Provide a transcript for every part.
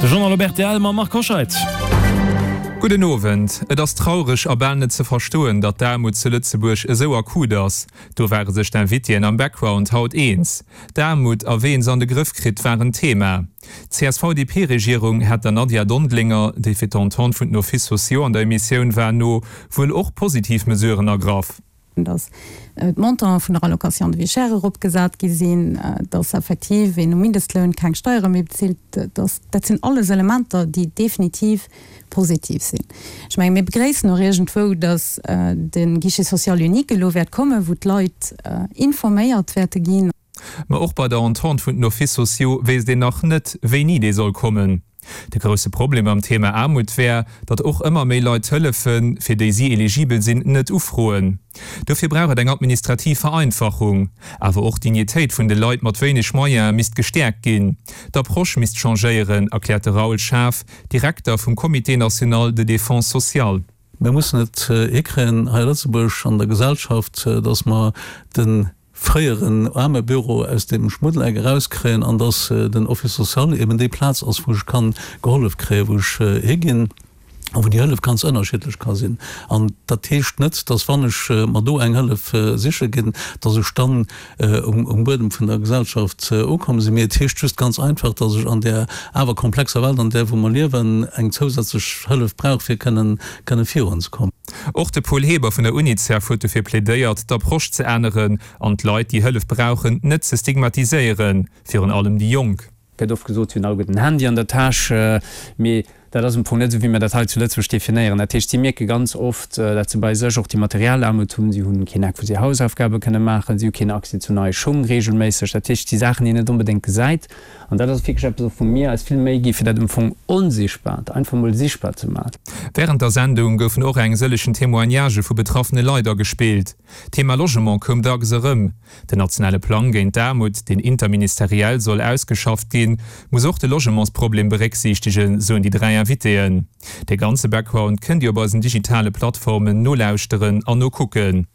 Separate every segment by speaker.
Speaker 1: De Journal op rtl mam Marc Hoscheid.
Speaker 2: Gudden Owend. Et ass traureg a bal net ze verstoen, datt d'Aarmut zu Lëtzebuerg esou akut ass. Do ware sech d'Invitéen am Background haut eens. D'Aarmut a wéi een se an de Grëff kritt war en Thema. D'CSV-DP-Regierung hätt der Nadia Dondelinger, déi fir d'Entente vun den Offices sociaux an der Emissioun war, no wuel och positiv Mesuren ergraff.
Speaker 3: Datt d'Montanten vun der Allocation de vie chère eropgesat gi sinn, datt effektiv een um Mindestloun keng Steiere méi bezilt, datt, dat sinn alles Elementer, déi definitiv positiv sinn. Ech menge mir begréissen och iergendwou, datt de Guichet social unique elo wäert kommen, wou d'Leit informéiert wäerte ginn.
Speaker 2: Ma och bei der Entente vun den Offices sociaux wéisst een nach net, wéini déi soll kommen. De grousse Problem beim Thema Aarmut wär, datt och ëmmer méi Leit d'Hëllefen, fir déi si eligibel sinn, net ufroen. Dofir brauch et eng administrativ Vereinfachung. Awer och d'Dignitéit vun de Leit mat wéineg Moyene misst gestäerkt ginn. D'Approche misst changéieren, erkläert de Raoul Schaaf, Direkter vum Comité national de défense sociale.
Speaker 4: Mir mussen et hikréien hei a Lëtzebuerg an der Gesellschaft, datt mer de fréieren Aarmebüro aus deem Schmuddeleck erauskréien an dass den Office social eben déi Plaz ass, wou ech kann gehollef kréien, wou ech higinn a wou déi Hëllef ganz ënnerschiddlech ka sinn. An dat heescht net, dass wann ech mer do eng Hëllef siche ginn, dass ech dann um Buedem vun der Gesellschaft ukomm sinn, mee et heescht just ganz einfach, dass ech an där awer komplexer Welt, an där wou mer liewen, eng zousätzlech Hëllef brauch, fir kënnen kënne virunzekommen.
Speaker 2: Och de Paul Heber vun der Unicef huet dofir plädéiert, d'Approche ze änneren an d'Leit, déi Hëllef brauchen, net ze stigmatiséieren, virun allem déi Jonk.
Speaker 5: Gëtt oft gesot, si hunn alleguerten en Handy an der Täsch, mee dat ass am Fong net esou, wéi mir dat hei zu Lëtzebuerg definéieren. Dat heescht, si mierke ganz oft, dat se bei sech och déi materiell Aarmut hunn. Si hunn keen Eck, wou si Hausaufgabe kënne maachen, si hu keen Accès zu neie Schung reegelméisseg. Dat heescht, et si Saachen, déi een net onbedéngt gesäit. An dat ass wierklech eppes, och wou mir eis vill Méi gi fir dat am Fong Onsichtbart einfach mol sichtbar ze maachen.
Speaker 2: Wärend der Sendung goufen och eng sëllegen Témoignagë vu betraffene Leit agespillt. D'Thema Logement koum dacks erëm. Den nationale Plang géint d'Aarmut, deen interministeriell soll ausgeschafft ginn, muss och de Logementsproblem berécksiichtegen, soen déi 3 Invitéen. De ganze Background kënnt Dir op eisen digitale Plattformen nolauschteren an nokucken.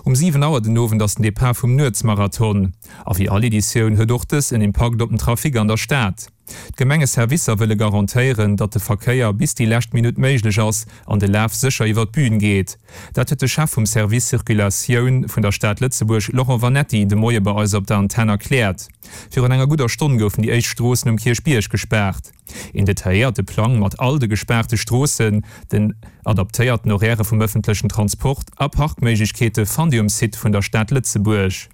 Speaker 2: Um 7 Auer den Owend ass den Depart vum Nuetsmarathon. A wéi all Editioun huet och dës en Impakt op den Trafic an der Stad. D'Gemengeservicer wëlle garantéieren, datt de Verkéier bis déi lescht Minutt méiglech ass an de Laf sécher iwwer d'Bün geet. Dat huet de Chef vum Service Circulatioun vun der Stad Lëtzebuerg, Laurent Vanetti, de Moie bei eis op der Antenn erkläert. Virun enger gudder Stonn goufen déi éischt Stroossen um Kierchbierg gespaart. Een detailléierte Plang mat all de gespaarte Stroossen, den adaptéierten Horairë vum ëffentlechen Transport a Parkméiglechkeete fannt Dir um Site vun der Stad Lëtzebuerg.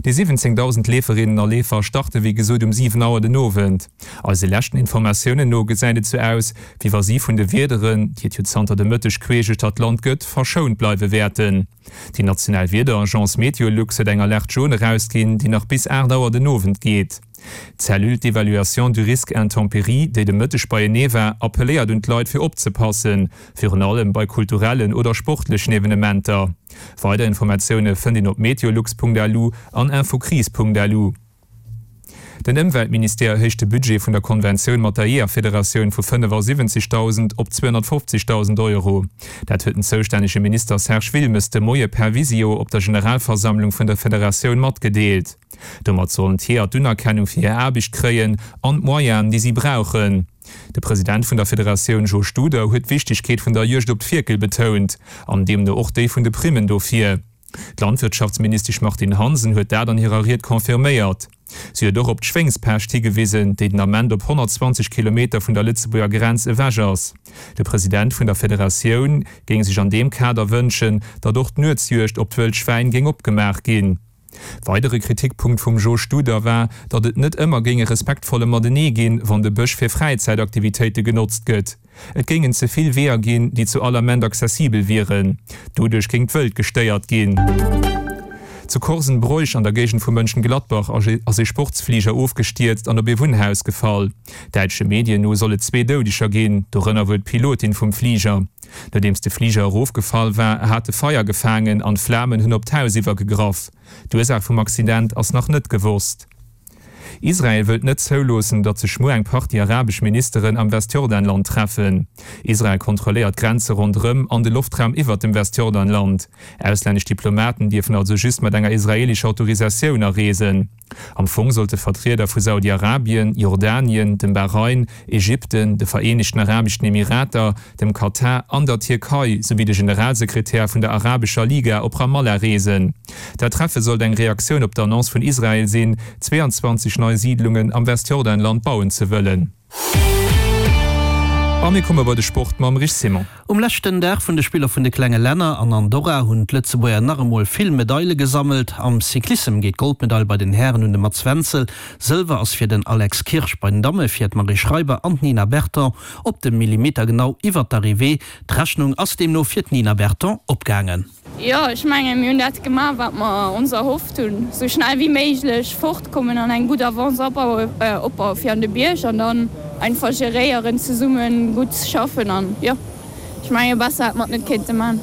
Speaker 2: Déi 17.000 Leeferinnen a Leefer starte wéi gesot um 7 Auer den Owend. Eise leschten Informatiounen no gesäit et sou aus, wéi wa si vun de Wiederen, déi et jo zanter de Mëtteg queesch duerch d'Land gëtt, verschount bleiwe wäerten. Déi national Wiederagence Meteolux huet eng Alerte jaune erausginn, déi nach bis 8 Auer den Owend geet. D'Cellule d'évaluation du risque intempéries, déi de Mëtteg beienee war, appelléiert un d'Leit fir opzepassen, virun allem bei kulturellen oder sportlechen Evenementer. Weider Informatioune fënnt een op meteolux.lu an infocrise.lu. Den Ëmweltministère erhéicht de Budget vun der Konventioun mat der Jeeërfederatioun vu 75.000 op 250.000 Euro. Dat huet den zoustännege Minister Serge Wilmes de Moie per Visio op der Generalversammlung vun der Federatioun matgedeelt. Domat sollen d'Jeeër d'Unerkennung fir hir Aarbecht kréien an d'Moyenen, déi si brauchen. De President vun der Federatioun Jo Studer huet d'Wichtegkeet vun der Juegd op d'Fierkel betount an deemno och déi vun de Primmen dofir. D'Landwirtschaftsministesch Martine Hansen huet dat an hirer Ried confirméiert. Si huet och op d'Schwéngspescht higewisen, déi den Ament op 120 Kilometer vun der Lëtzebuerger Grenz ewech ass. De President vun der Federatioun géing sech an deem Kader wënschen, datt och d'Nuetsjuegd op d'wëllt Schwäin géing opgemaach ginn. Weidere Kritikpunkt vum Jo Studer war, datt et net ëmmer géing e respektvolle Matenee ginn, wann de Bësch fir Fräizäitaktivitéite genotzt gëtt. Et géingen ze vill Weeër ginn, déi zu all Ament accessibel wieren. Doduerch géing d'Wëld gestéiert ginn. Zu Korsenbroich an der Géigend vu Mönchengladbach ass ee Sportsfliger ofgestierzt an op ee Wunnhaus gefall. Däitsche Medien no soll et zwee Doudeger ginn, dorënner wuel d'Pilotin vum Fliger. Nodeems de Fliger erofgefall war, hat e Feier gefaangen an d'Flamen hunn op d'Haus iwwergegraff. D'Ursaach vum Accident ass nach net gewosst. Israel wëllt net zouloossen, datt sech muer eng Partie arabesch Ministeren am Westjordanland treffen. Israel kontrolléiert d'Grenze ronderëm an de Loftraum iwwert dem Westjordanland. Auslännesch Diplomaten dierfen also just mat enger israeelescher Autorisatioun areesen. Am Fong sollte Vertrieder vu Saudi-Arabien, Jordanien, dem Bahrain, Ägypten, de Vereenegten Arabeschen Emirater, dem Katar an der Tierkei souwéi de Generalsekretär vun der Arabescher Liga op Ramallah reesen. Dat Treffe sollt eng Reaktioun op d'Annonce vun Israel sinn, 22 nei Siidlungen am Westjordanland bauen ze wëllen. A mir komme bei de Sport mam Rich Simon.
Speaker 6: Um leschten Dag vun de Spiller vun de klenge Länner an Andorra hunn d'Lëtzebuerger nach emol vill Medaile gesammelt. Am Cyclissem geet d'Goldmedail bei den Hären un de Mats Wenzel, Sëlwer ass fir den Alex Kirsch, bei den Damme fir d'Marie Schreiber an d'Nina Berton op de Millimeter genau iwwert d'Arrivée. D'Rechnung ass deemno fir d'Nina Berton opgaangen.
Speaker 7: Jo, ech mengen, mir hunn dat gemaach, wat mer ons erhofft hunn, esou schnell wéi méiglech fortkommen an eng gutt Avance opbaue fir an de Bierg an dann einfach geréieren, zesummen gutt schaffen an jo, ech mengen, besser hätt mer et net kéinte man.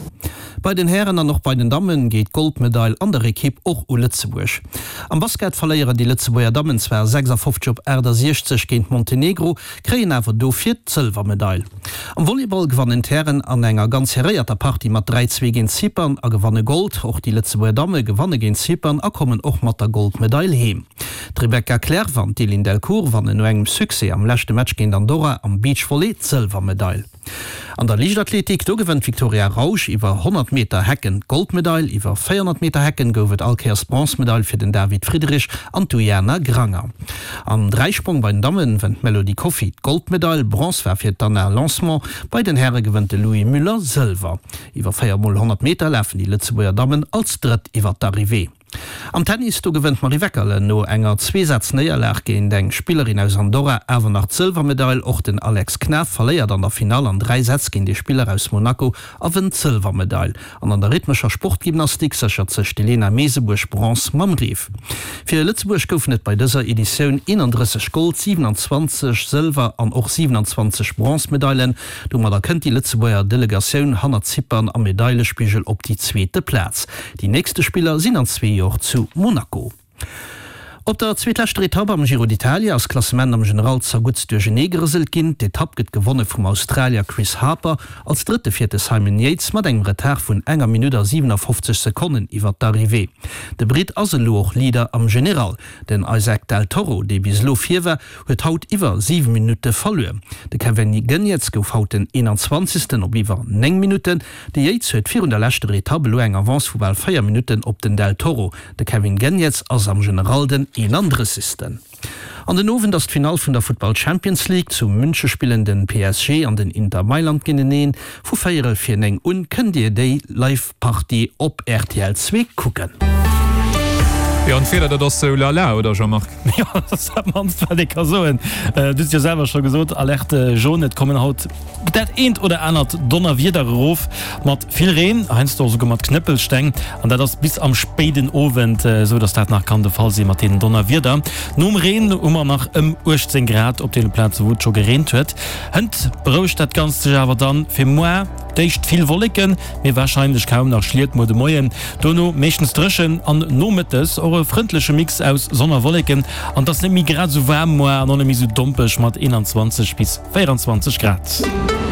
Speaker 6: Bei den Hären an och bei den Damme geet d'Goldmedail an der Ekipp och u Lëtzebuerg. Am Basket verléieren déi Lëtzebuerger Dammen zwar 56 op 68 géint Montenegro, kréien awer dofir d'Sëlwermedail. Am Volleyball gewannen d'Hären an enger ganz serréierter Partie mat 3, 2 géint Zypern a gewanne Gold. Och déi Lëtzebuerger Damme gewanne géint Zypern a kommen och mat der Goldmedail heem. D'Rebecca Clerf an d'Eline Delcourt wannen no engem Succès am leschte Match géint Andorra am Beachvolley d'Sëlwermedail. An der Liichtathletik, do gewënnt d'Victoria Rausch iwwer 100 Meter Hecken d'Goldmedail. Iwwer 400 Meter Hecken gouf et all Kéiers d'Bronzemedail fir den David Friedrich an d'Ujana Granger. Am Dräisprong bei den Damme wënnt d'Melody Coffey d'Goldmedail, Bronze war fir d'Anna Lancement. Bei den Häre gewënnt de Louis Müller Sëlwer. Iwwer 4 mol 100 Meter lafen déi Lëtzebuerger Dammen als Drëtt iwwer d'Arrivée. Am Tennis, do gewënnt d'Marie Weckerle no enger Zweesaz-Néierlag géint eng Spillerin aus Andorra awer nach d'Sëlwermedail. Och den Alex Knaff verléiert an der Finall an 3 Sätz géint ee Spiller aus Monaco a wënnt d'Sëlwermedail. An an der rhythmescher Sportgymnastik séchert sech d'Elena Mesebuerg Bronze mam Reef. Fir Lëtzebuerg goufen et bei dëser Editioun 31 Gold-, 27 Sëlwer an och 27 Bronzemedailen. Domadder kënnt déi Lëtzebuerger Delegatioun hannert Zypern am Medailespigel op déi zweete Plaz. Déi nächste Spiller sinn an zwee Jor zu Monaco. Op der zweetleschter Etapp am Giro d'Italia ass d'Klassement am General zerguttst duerchenee gerëselt ginn. D'Etapp gëtt gewonne vum Australier Chris Harper. Als Drëtte fiert de Simon Yates mat engem Retard vun enger Minutt a 57 Sekonnen iwwer d'Arrivée. De Britt ass elo och Leader am General. Den Isaac Del Toro, dee bis elo vir war, huet haut iwwer 7 Minutte verluer. De Kevin Geniets gouf haut den 21. op iwwer 9 Minutten. De Yates huet virun der leschter Etapp elo eng Avance vu bal 4 Minutten op den Del Toro. De Kevin Geniets ass am General den 31. An den Owend ass d'Finall vun der Futtball Champions League. Zu Münche spillen den PSG an den Inter Mailand géinteneen. Vu véierel vir 9 un kënnt Dir déi Live Partie op rtl 2 kucken.
Speaker 2: Jo, an d'Wieder, dat ass sou lala, oder Jean-Marc?
Speaker 1: Jo, dat ass dat mannst wat ee ka soen. Du hues et jo selwer scho gesot, Alerte jaune, et kommen haut dat eent oder anert Donnerwieder erof, mat vill Reen, heiansdo och esouguer mat Knëppelsteng, an dat ass bis am spéiden Owend esou, dass dat nach kann de Fall si mat deenen Donnerwieder. Nom Reen hu mer nach ëm 18 Grad op deene Plaze wou et scho gereent huet. Hënt berouegt dat Ganzt sech awer dann fir muar, d'éischt vill Wolleken, mee warscheinlech kaum nach Schliet muer de Moien, dono meeschtens dréchen an nomëttes och e frëndleche Mix aus Sonn a Wolleken an et ass net méi grad esou waarm muar an och net méi esou dompeg mat 21 bis 24 Grad.